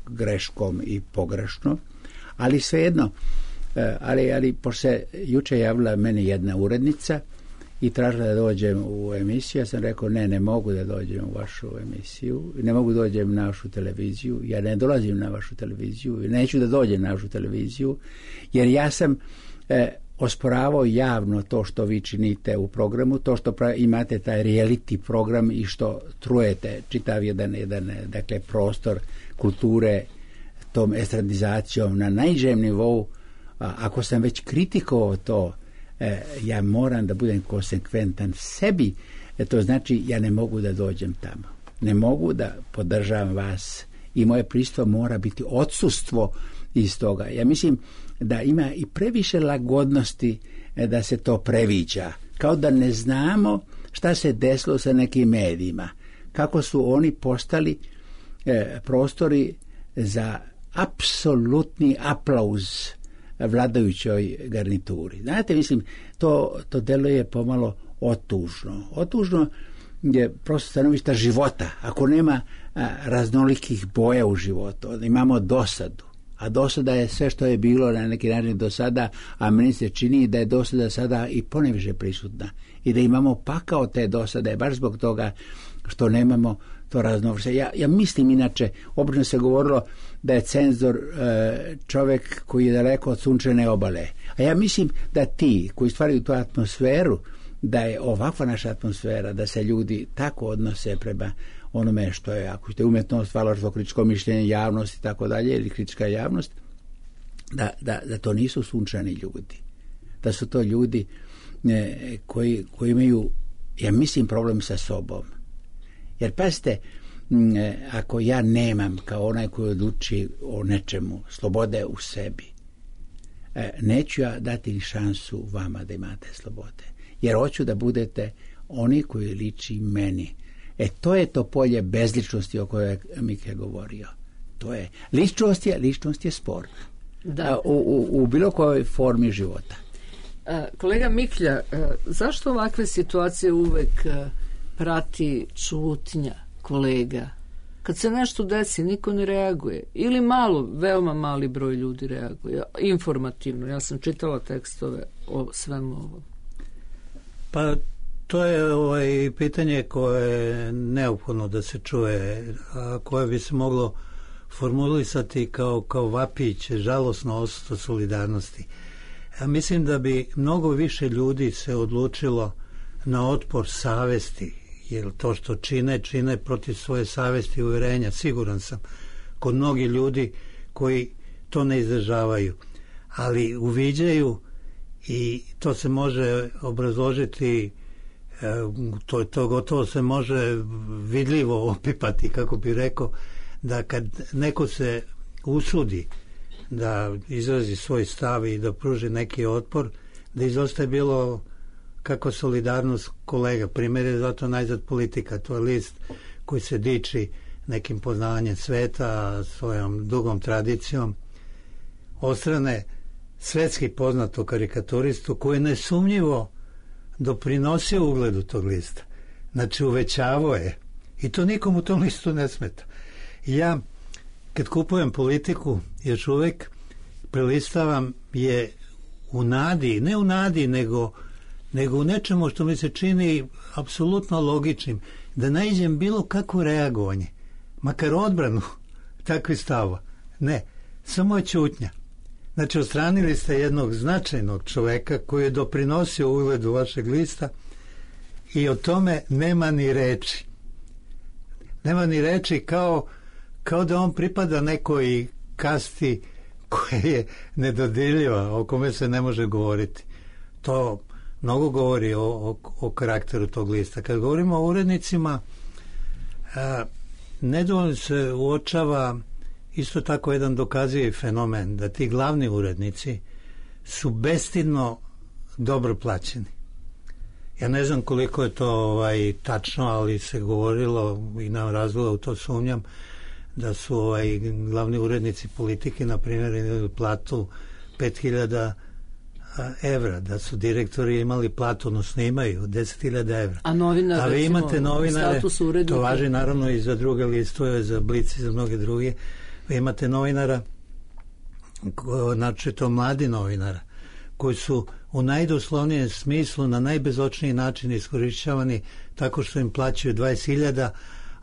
greškom i pogrešno, ali svejedno, e, ali, ali pošto se juče javila meni jedna urednica i tražila da dođem u emisiju, ja sam rekao ne, ne mogu da dođem u vašu emisiju, ne mogu da dođem na vašu televiziju, ja ne dolazim na vašu televiziju i neću da dođem na vašu televiziju, jer ja sam e, osporavao javno to što vi činite u programu, to što imate taj reality program i što trujete čitav jedan, jedan dakle, prostor kulture tom estradizacijom na najnižem nivou. A ako sam već kritikovao to, e, ja moram da budem konsekventan sebi, e, to znači ja ne mogu da dođem tamo. Ne mogu da podržavam vas i moje prisustvo mora biti odsustvo iz toga. Ja mislim da ima i previše lagodnosti e, da se to previđa. Kao da ne znamo šta se desilo sa nekim medijima. Kako su oni postali e, prostori za apsolutni aplauz vladajućoj garnituri. Znate, mislim, to, to deluje pomalo otužno. Otužno je prosto stanovišta života. Ako nema a, raznolikih boja u životu, imamo dosadu. A dosada je sve što je bilo na neki način do sada, a meni se čini da je dosada sada i poneviše prisutna. I da imamo pakao te dosade, baš zbog toga što nemamo to raznovrste. Ja, ja mislim inače, obično se govorilo da je cenzor e, čovjek koji je daleko od sunčane obale. A ja mislim da ti koji stvaraju tu atmosferu, da je ovakva naša atmosfera, da se ljudi tako odnose prema onome što je, ako ste umjetnost, valaštvo, kritičko mišljenje, javnost i tako dalje, ili kritička javnost, da, da, da to nisu sunčani ljudi. Da su to ljudi e, koji, koji imaju, ja mislim, problem sa sobom. Jer pazite, ako ja nemam kao onaj koji odluči o nečemu slobode u sebi, neću ja dati šansu vama da imate slobode. Jer hoću da budete oni koji liči meni. E to je to polje bezličnosti o kojoj je Mike govorio. To je, ličnost je, ličnost je sport. Da. U, u, u bilo kojoj formi života. Kolega Miklja, zašto ovakve situacije uvek prati čutnja kolega? Kad se nešto desi, niko ne reaguje. Ili malo, veoma mali broj ljudi reaguje. Informativno. Ja sam čitala tekstove o svemu ovom. Pa to je ovaj pitanje koje je neophodno da se čuje, a koje bi se moglo formulisati kao, kao vapić, žalosno odsustvo solidarnosti. Ja mislim da bi mnogo više ljudi se odlučilo na otpor savesti, jer to što čine, čine protiv svoje savesti i uvjerenja, siguran sam, kod mnogi ljudi koji to ne izražavaju, ali uviđaju i to se može obrazložiti, to, to gotovo se može vidljivo opipati, kako bi rekao, da kad neko se usudi da izrazi svoj stav i da pruži neki otpor, da izostaje bilo kako solidarnost kolega. Primjer je zato najzad politika. To je list koji se diči nekim poznavanjem sveta, svojom dugom tradicijom. Ostrane svetski poznatu karikaturistu koji je nesumnjivo doprinosio ugledu tog lista. Znači uvećavao je. I to nikom u tom listu ne smeta. I ja kad kupujem Politiku još uvijek prelistavam je u nadi, ne u nadi nego nego u nečemu što mi se čini apsolutno logičnim, da naiđem bilo kakvo reagovanje, makar odbranu takvih stava. Ne, samo je ćutnja. Znači, odstranili ste jednog značajnog čoveka koji je doprinosio ugledu vašeg lista i o tome nema ni reči. Nema ni reči kao, kao da on pripada nekoj kasti koja je nedodirljiva, o kome se ne može govoriti. To mnogo govori o, o, o karakteru tog lista. Kad govorimo o urednicima, a, nedovoljno se uočava isto tako jedan dokazivi fenomen, da ti glavni urednici su bestidno dobro plaćeni. Ja ne znam koliko je to ovaj, tačno, ali se govorilo i nam razloga u to sumnjam, da su ovaj, glavni urednici Politike, na primjer, imali platu pet hiljada evra, da su direktori imali platu, odnosno imaju deset hiljada evra. A novinar, a vi imate novinare, to važi naravno i za druge listove, za Blic i za mnoge druge. Vi imate novinara, znači to mladi novinara, koji su u najdoslovnijem smislu na najbezočniji način iskorišćavani tako što im plaćaju dvadeset hiljada,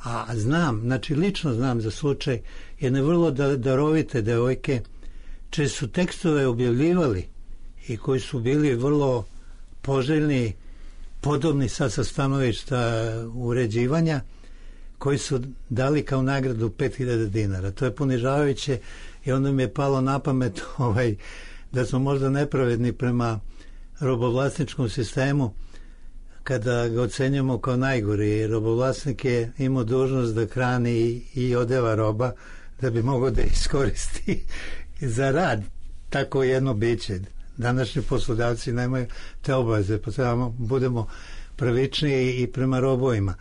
a znam, znači lično znam za slučaj jedne vrlo darovite devojke čije su tekstove objavljivali i koji su bili vrlo poželjni, podobni sad sa stanovišta uređivanja, koji su dali kao nagradu pet hiljada dinara. To je ponižavajuće i onda mi je palo na pamet ovaj, da smo možda nepravedni prema robovlasničkom sistemu kada ga ocenjujemo kao najgori. Robovlasnik je imao dužnost da hrani i, i odeva roba da bi mogao da iskoristi za rad tako jedno biće. Današnji poslodavci nemaju te obaveze, pa trebamo budemo pravičniji i prema robovima.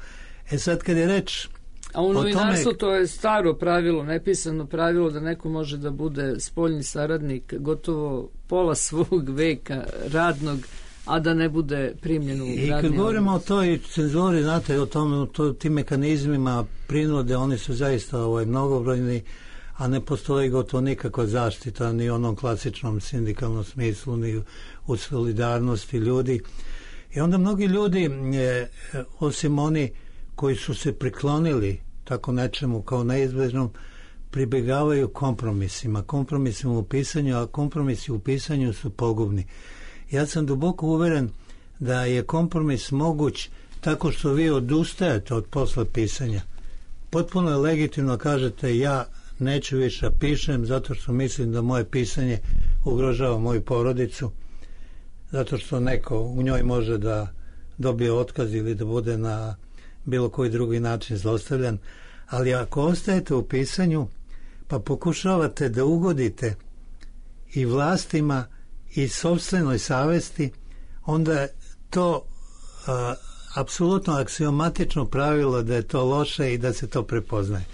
E sad kad je reč a u novinarstvu to je staro pravilo, nepisano pravilo da neko može da bude spoljni saradnik gotovo pola svog veka radnog, a da ne bude primljen u radni. I kad govorimo o toj cenzuri, znate, o tom, to, tim mehanizmima prinude, oni su zaista ovaj, mnogobrojni, a ne postoji gotovo nikakva zaštita ni u onom klasičnom sindikalnom smislu, ni u solidarnosti ljudi. I onda mnogi ljudi, e, osim oni koji su se priklonili tako nečemu kao neizbežnom, pribegavaju kompromisima. Kompromisima u pisanju, a kompromisi u pisanju su pogubni. Ja sam duboko uveren da je kompromis moguć tako što vi odustajete od posla pisanja. Potpuno je legitimno kažete ja neću više pišem zato što mislim da moje pisanje ugrožava moju porodicu, zato što neko u njoj može da dobije otkaz ili da bude na bilo koji drugi način zlostavljan, ali ako ostajete u pisanju pa pokušavate da ugodite i vlastima i sopstvenoj savesti, onda to a, apsolutno aksiomatično pravilo da je to loše i da se to prepoznaje.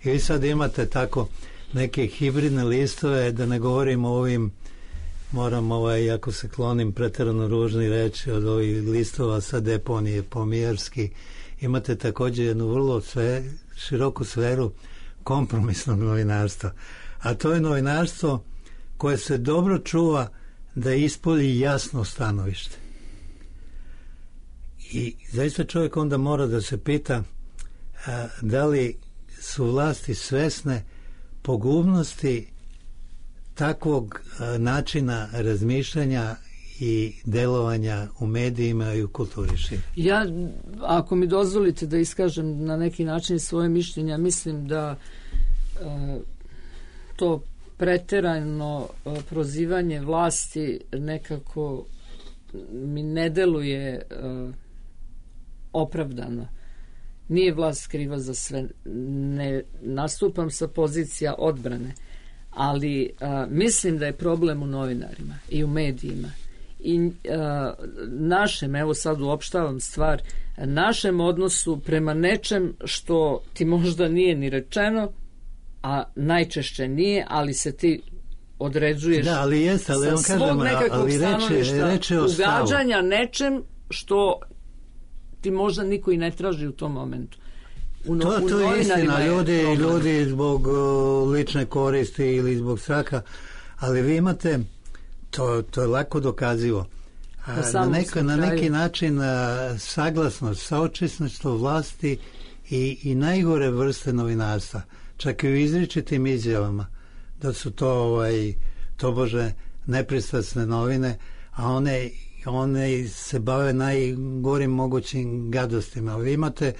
I vi sad imate tako neke hibridne listove, da ne govorim o ovim, moram ovaj, ako se klonim preterano ružni reći, od ovih listova sa deponije pomijerski, imate također jednu vrlo sve, široku sferu kompromisnog novinarstva. A to je novinarstvo koje se dobro čuva da ispolji jasno stanovište. I zaista čovjek onda mora da se pita a, da li su vlasti svesne pogubnosti takvog a, načina razmišljanja i delovanja u medijima i u kulturi. Ja, ako mi dozvolite da iskažem na neki način svoje mišljenja, mislim da a, to preterano a, prozivanje vlasti nekako mi ne deluje a, opravdano. Nije vlast kriva za sve. Ne nastupam sa pozicija odbrane, ali a, mislim da je problem u novinarima i u medijima. I a, našem, evo sad uopštavam stvar, našem odnosu prema nečem što ti možda nije ni rečeno, a najčešće nije, ali se ti određuješ da, ali jest, ali sa on svog kažem, nekakvog ali stanovišta reče, reče ugađanja nečem što ti možda niko i ne traži u tom momentu. U no, to, u to je istina, ljudi, ljudi zbog uh, lične koristi ili zbog straha, ali vi imate, to, to je lako dokazivo, a, na, neko, na neki način a, saglasnost, saočesništvo vlasti i, i najgore vrste novinarstva, čak i u izričitim izjavama, da su to ovaj, tobože nepristrasne novine, a one one se bave najgorim mogućim gadostima. Vi imate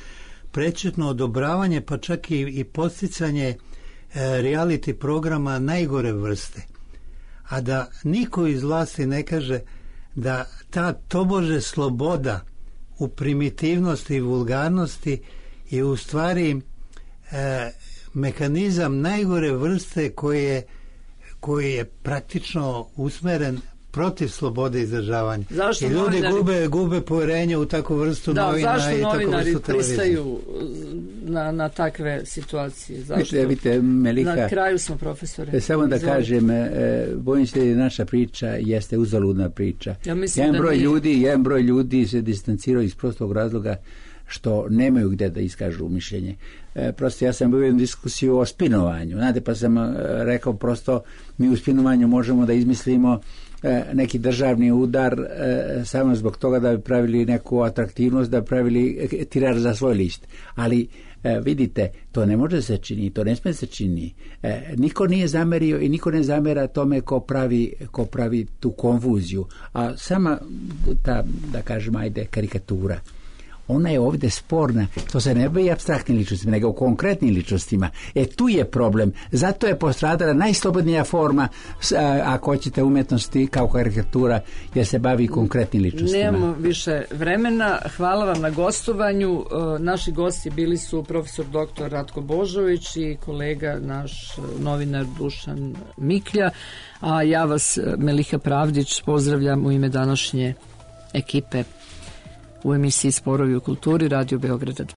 prečutno odobravanje, pa čak i, i posticanje e, reality programa najgore vrste. A da niko iz vlasti ne kaže da ta tobože sloboda u primitivnosti i vulgarnosti je u stvari e, mehanizam najgore vrste koji je, koji je praktično usmeren protiv slobode izražavanja. Zašto i ljudi novinari... gube, gube povjerenje u takvu vrstu da, novina zašto i takvu vrstu televizije. pristaju na, na takve situacije? Zašto? Vidite, vidite, Melika, na kraju smo, profesore. Samo da Izvolite. kažem, e, bojim se da naša priča jeste uzaludna priča. Ja mislim jedan da broj nije. ljudi, jedan broj ljudi se distancirao iz prostog razloga što nemaju gde da iskažu mišljenje. E, prosto ja sam bio u diskusiju o spinovanju. Znate, pa sam e, rekao prosto mi u spinovanju možemo da izmislimo e, neki državni udar e, samo zbog toga da bi pravili neku atraktivnost, da bi pravili tirar za svoj list. Ali E, vidite, to ne može se čini, to ne smije se čini. E, niko nije zamerio i niko ne zamera tome ko pravi, ko pravi tu konfuziju. A sama ta, da kažem, ajde, karikatura, ona je ovdje sporna. To se ne bavi apstraktnim ličnostima, nego u konkretnim ličnostima. E tu je problem. Zato je postradala najslobodnija forma, a, ako hoćete, umjetnosti kao karikatura, jer se bavi konkretnim ličnostima. Nemamo više vremena. Hvala vam na gostovanju. Naši gosti bili su profesor doktor Ratko Božović i kolega naš novinar Dušan Miklja. A ja vas, Meliha Pravdić, pozdravljam u ime današnje ekipe u emisiji Sporovi u kulturi Radio Beograda.